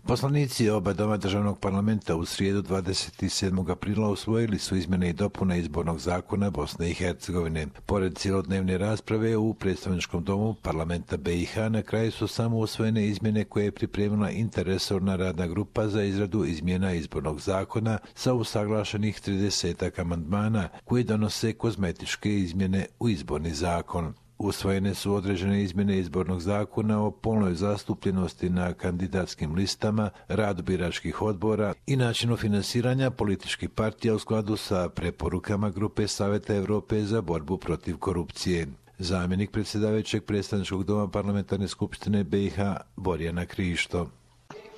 Poslanici oba doma državnog parlamenta u srijedu 27. aprila usvojili su izmjene i dopune izbornog zakona Bosne i Hercegovine. Pored cjelodnevne rasprave u predstavničkom domu parlamenta BiH na kraju su samo usvojene izmjene koje je pripremila interresorna radna grupa za izradu izmjena izbornog zakona sa usaglašenih 30 amandmana koji donose kozmetičke izmjene u izborni zakon. Usvojene su određene izmjene izbornog zakona o polnoj zastupljenosti na kandidatskim listama, radu biračkih odbora i načinu finansiranja političkih partija u skladu sa preporukama Grupe Saveta Europe za borbu protiv korupcije. Zamjenik predsjedavajućeg predstavničkog doma parlamentarne skupštine BiH Borjana Krišto.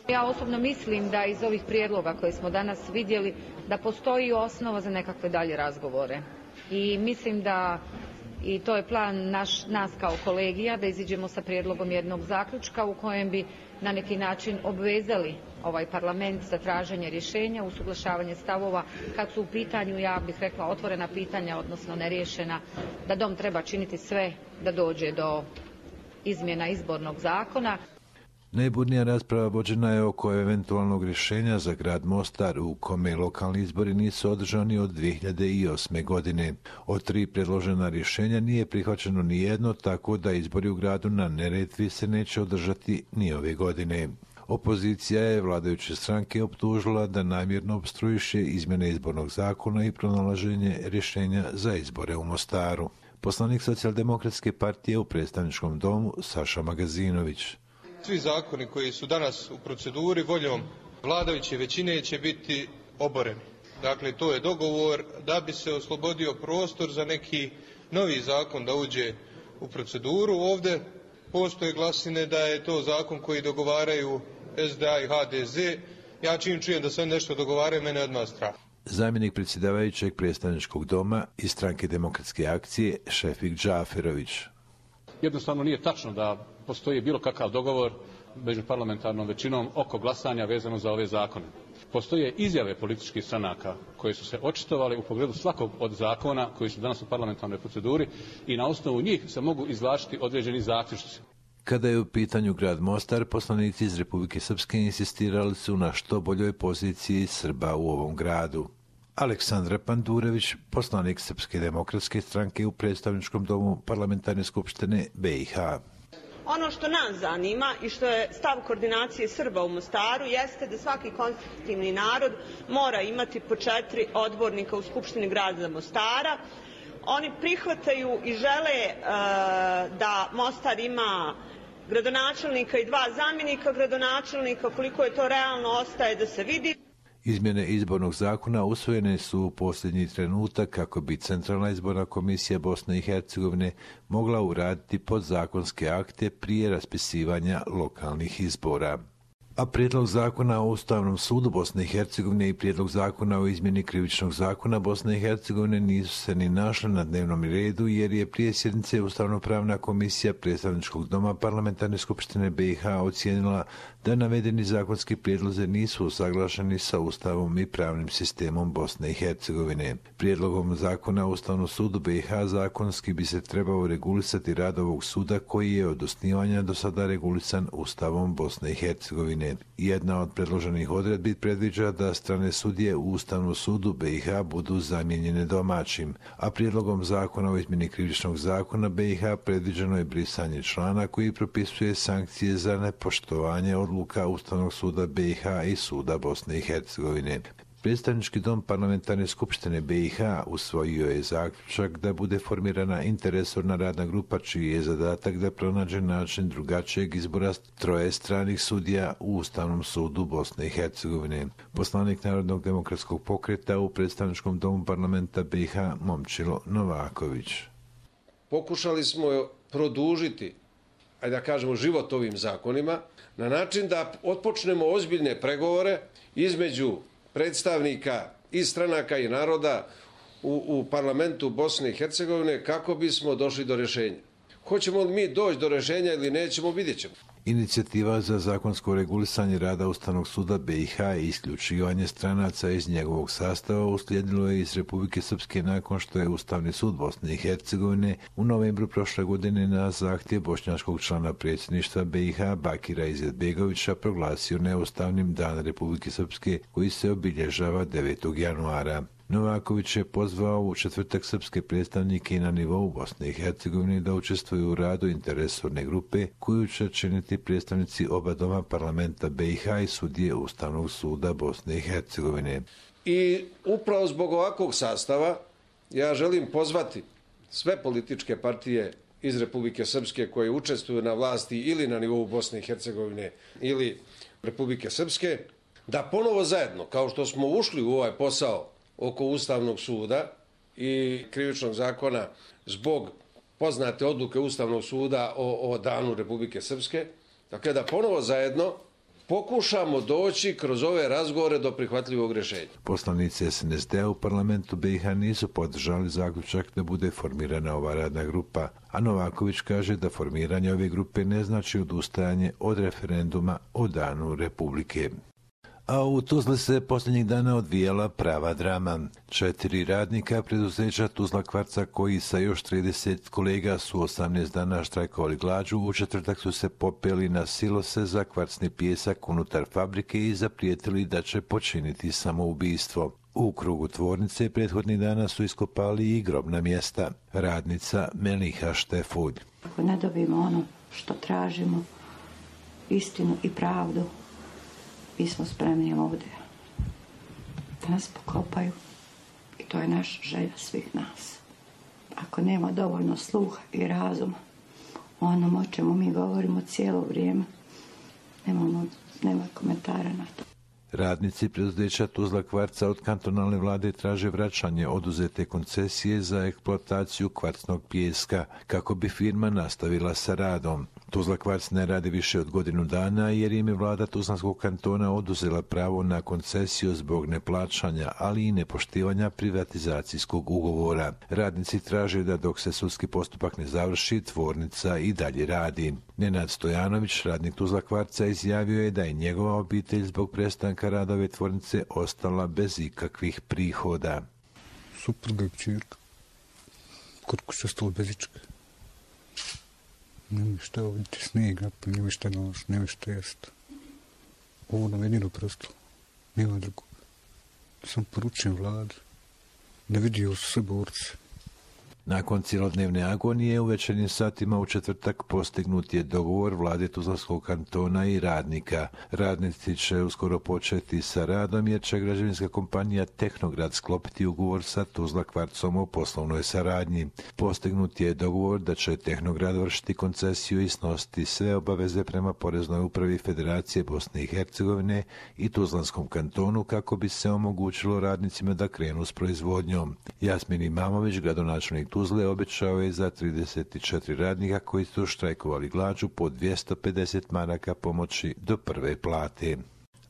Ja osobno mislim da iz ovih prijedloga koje smo danas vidjeli da postoji osnova za nekakve dalje razgovore i mislim da i to je plan nas kao kolegija da iziđemo sa prijedlogom jednog zaključka u kojem bi na neki način obvezali ovaj parlament za traženje rješenja, usuglašavanje stavova kad su u pitanju, ja bih rekla, otvorena pitanja, odnosno neriješena, da dom treba činiti sve da dođe do izmjena izbornog zakona. Najburnija rasprava vođena je oko eventualnog rješenja za grad Mostar u kome lokalni izbori nisu održani od 2008. godine. Od 3 predložena rješenja nije prihvaćeno ni jedno, tako da izbori u gradu na Neretvi se neće održati ni ove godine. Opozicija je vladajuće stranke optužila da namjerno opstruiše izmjene izbornog zakona i pronalaženje rješenja za izbore u Mostaru. Poslanik Socijaldemokratske partije u predstavničkom domu Saša Magazinović. Svi zakoni koji su danas u proceduri voljom vladajuće većine će biti oboreni. Dakle, to je dogovor da bi se oslobodio prostor za neki novi zakon da uđe u proceduru. Ovdje postoje glasine da je to zakon koji dogovaraju SDA i HDZ. Ja čim čujem da se oni nešto dogovaraju, mene odmah strah. Zamjenik predsjedavajućeg predstavničkog doma iz Stranke demokratske akcije Šefik Džaferović. Jednostavno nije tačno da postoji bilo kakav dogovor među parlamentarnom većinom oko glasanja vezano za ove zakone. Postoje izjave političkih stranaka koje su se očitovali u pogledu svakog od zakona koji su danas u parlamentarnoj proceduri i na osnovu njih se mogu izvlačiti određeni zaključci. Kada je u pitanju grad Mostar, poslanici iz Republike Srpske insistirali su na što boljoj poziciji Srba u ovom gradu. Aleksandra Pandurević, poslanik Srpske demokratske stranke u predstavničkom domu parlamentarne skupštine BiH. Ono što nas zanima i što je stav koordinacije Srba u Mostaru jeste da svaki konstitutivni narod mora imati po 4 odbornika u Skupštini grada Mostara. Oni prihvataju i žele da Mostar ima gradonačelnika i 2 zamjenika gradonačelnika. Koliko je to realno ostaje da se vidi. Izmjene izbornog zakona usvojene su u posljednji trenutak kako bi Centralna izborna komisija Bosne i Hercegovine mogla uraditi podzakonske akte prije raspisivanja lokalnih izbora. A prijedlog zakona o Ustavnom sudu Bosne i Hercegovine i prijedlog zakona o izmjeni krivičnog zakona Bosne i Hercegovine nisu se ni našli na dnevnom redu jer je prije sjednice Ustavno-pravna komisija predstavničkog doma parlamentarne skupštine BiH ocijenila da navedeni zakonski prijedlozi nisu usaglašeni sa Ustavom i pravnim sistemom Bosne i Hercegovine. Prijedlogom zakona o Ustavnom sudu BiH zakonski bi se trebao regulisati rad ovog suda koji je od osnivanja do sada regulisan Ustavom Bosne i Hercegovine. Jedna od predloženih odredbi predviđa da strane sudije u Ustavnom sudu BiH budu zamijenjene domaćim, a prijedlogom zakona o izmjeni krivičnog zakona BiH predviđeno je brisanje člana koji propisuje sankcije za nepoštovanje odluka Ustavnog suda BiH i suda Bosne i Hercegovine. Predstavnički dom parlamentarne skupštine BiH usvojio je zaključak da bude formirana interresorna radna grupa čiji je zadatak da pronađe način drugačijeg izbora 3 stranih sudija u Ustavnom sudu Bosne i Hercegovine. Poslanik Narodnog demokratskog pokreta u predstavničkom domu parlamenta BiH Momčilo Novaković. Pokušali smo produžiti, ajde da kažemo, život ovim zakonima na način da otpočnemo ozbiljne pregovore između predstavnika i stranaka i naroda u parlamentu Bosne i Hercegovine kako bismo došli do rješenja. Hoćemo li mi doći do rješenja ili nećemo, vidjet ćemo. Inicijativa za zakonsko regulisanje rada Ustavnog suda BiH i isključivanje stranaca iz njegovog sastava uslijedilo je iz Republike Srpske nakon što je Ustavni sud Bosne i Hercegovine u novembru prošle godine na zahtjev bošnjačkog člana predsjedništva BiH Bakira Izetbegovića proglasio neustavnim Dan Republike Srpske koji se obilježava 9. januara. Novaković je pozvao u četvrtak srpske predstavnike na nivou Bosne i Hercegovine da učestvuju u radu interresorne grupe koju će činiti predstavnici oba doma parlamenta BiH i sudije Ustavnog suda Bosne i Hercegovine. I upravo zbog ovakvog sastava ja želim pozvati sve političke partije iz Republike Srpske koje učestvuju na vlasti ili na nivou Bosne i Hercegovine ili Republike Srpske da ponovo zajedno, kao što smo ušli u ovaj posao oko Ustavnog suda i krivičnog zakona zbog poznate odluke Ustavnog suda o danu Republike Srpske, dakle da ponovo zajedno pokušamo doći kroz ove razgovore do prihvatljivog rješenja. Poslanici SNSD-a u parlamentu BiH nisu podržali zaključak da bude formirana ova radna grupa, a Novaković kaže da formiranje ove grupe ne znači odustajanje od referenduma o danu Republike. A u Tuzli se posljednjih dana odvijala prava drama. 4 radnika preduzeća Tuzla Kvarca koji sa još 30 kolega su 18 dana štrajkovali glađu, u četvrtak su se popeli na silose za kvarcni pijesak unutar fabrike i zaprijetili da će počiniti samoubistvo. U krugu tvornice prethodnih dana su iskopali i grobna mjesta. Radnica Meliha Štefulj. Ako ne dobijemo ono što tražimo, istinu i pravdu, mi smo spremni ovdje da nas pokopaju i to je naša želja svih nas. Ako nema dovoljno sluha i razuma o onom o čemu mi govorimo cijelo vrijeme, nema komentara na to. Radnici preduzeća Tuzla Kvarca od kantonalne vlade traže vraćanje oduzete koncesije za eksploataciju kvarcnog pijeska kako bi firma nastavila sa radom. Tuzla Kvarc ne radi više od godinu dana jer im je vlada Tuzlanskog kantona oduzela pravo na koncesiju zbog neplaćanja, ali i nepoštivanja privatizacijskog ugovora. Radnici traže da dok se sudski postupak ne završi, tvornica i dalje radi. Nenad Stojanović, radnik Tuzla Kvarca, izjavio je da je njegova obitelj zbog prestanka rada ove tvornice ostala bez ikakvih prihoda. Supruga i kćerka. Kod kuće ostalo bez ičega. Nema šta ovdje snijega, nema šta noć, nema šta jest. Ovo nam jedino preostalo. Nema drugo. Sam poručujem vladi da vidio su sve borce. Nakon cijelodnevne agonije u večernjim satima u četvrtak postignut je dogovor vlade Tuzlanskog kantona i radnika. Radnici će uskoro početi sa radom jer će građevinska kompanija Tehnograd sklopiti ugovor sa Tuzla Kvarcom o poslovnoj saradnji. Postignut je dogovor da će Tehnograd vršiti koncesiju i snositi sve obaveze prema Poreznoj upravi Federacije Bosne i Hercegovine i Tuzlanskom kantonu kako bi se omogućilo radnicima da krenu s proizvodnjom. Jasmin Imamović, gradonačelnik Tuzle, obećao je za 34 radnika koji su štrajkovali glađu po 250 maraka pomoći do prve plate.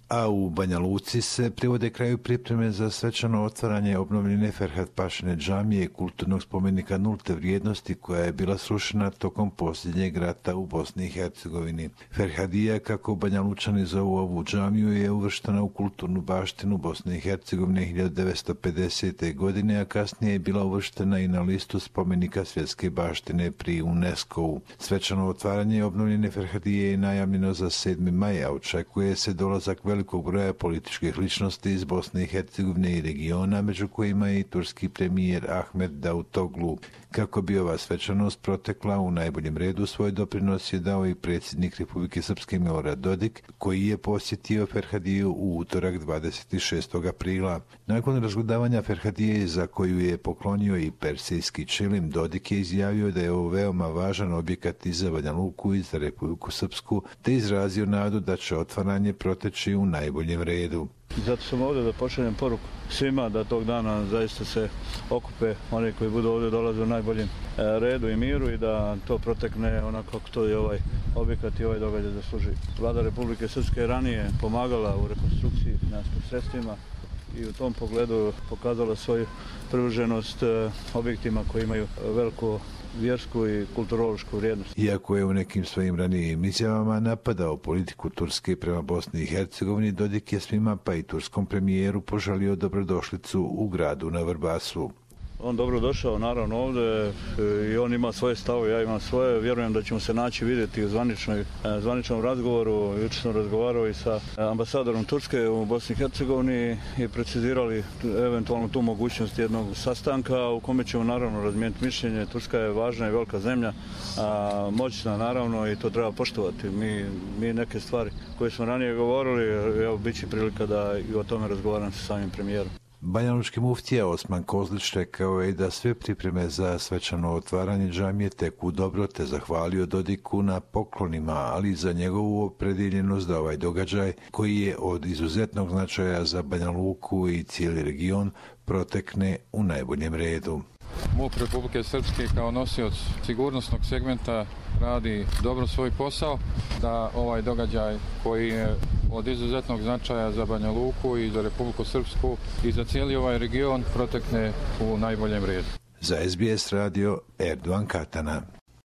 A u Banja Luci se privode kraju pripreme za svečano otvaranje obnovljene Ferhat Pašine džamije, kulturnog spomenika nulte vrijednosti koja je bila srušena tokom posljednjeg rata u Bosni i Hercegovini. Ferhadija, kako Banja Lučani zovu ovu džamiju, je uvrštena u kulturnu baštinu Bosne i Hercegovine 1950. godine, a kasnije je bila uvrštena i na listu spomenika svjetske baštine pri UNESCO-u. Svečano otvaranje obnovljene Ferhadije je najavljeno za 7. maj, a očekuje se dolazak velikog broja političkih ličnosti iz Bosne i Hercegovine i regiona, među kojima je i turski premijer Ahmed Davutoglu. Kako bi ova svečanost protekla u najboljem redu, svoj doprinos je dao i predsjednik Republike Srpske Milorad Dodik, koji je posjetio Ferhadiju u utorak 26. aprila. Nakon razgledavanja Ferhadije, za koju je poklonio i persijski čilim, Dodik je izjavio da je ovo veoma važan objekat i za Banja Luku i za Republiku Srpsku, te izrazio nadu da će otvaranje proteći u najboljem redu. Zato sam ovdje da pošaljem poruku svima da tog dana zaista se okupe oni koji budu ovdje dolaze u najboljem redu i miru i da to protekne onako kako to je ovaj objekat i ovaj događaj zaslužuje. Vlada Republike Srpske je ranije pomagala u rekonstrukciji finansijskim sredstvima i u tom pogledu pokazala svoju privrženost objektima koji imaju veliku vjersku i kulturološku vrijednost. Iako je u nekim svojim ranijim izjavama napadao politiku Turske prema Bosni i Hercegovini, Dodik je svima, pa i turskom premijeru, poželio dobrodošlicu u gradu na Vrbasu. On dobro došao naravno ovdje i on ima svoje stavove, ja imam svoje. Vjerujem da ćemo se naći vidjeti u zvaničnom razgovoru. Jučer sam razgovarao i sa ambasadorom Turske u Bosni i Hercegovini i precizirali eventualno tu mogućnost jednog sastanka u kome ćemo naravno razmijeniti mišljenje. Turska je važna i velika zemlja, moćna naravno i to treba poštovati. Mi neke stvari koje smo ranije govorili, evo bit će prilika da i o tome razgovaram sa samim premijerom. Banjalučki muftija Osman Kozlić rekao je da sve pripreme za svečano otvaranje džamije teku dobro, te zahvalio Dodiku na poklonima, ali i za njegovu opredjeljenost da ovaj događaj, koji je od izuzetnog značaja za Banja Luku i cijeli region, protekne u najboljem redu. MUP Republike Srpske kao nosioc sigurnosnog segmenta radi dobro svoj posao, da ovaj događaj koji je od izuzetnog značaja za Banja Luku i za Republiku Srpsku i za cijeli ovaj region protekne u najboljem redu. Za SBS radio Erdogan Katana.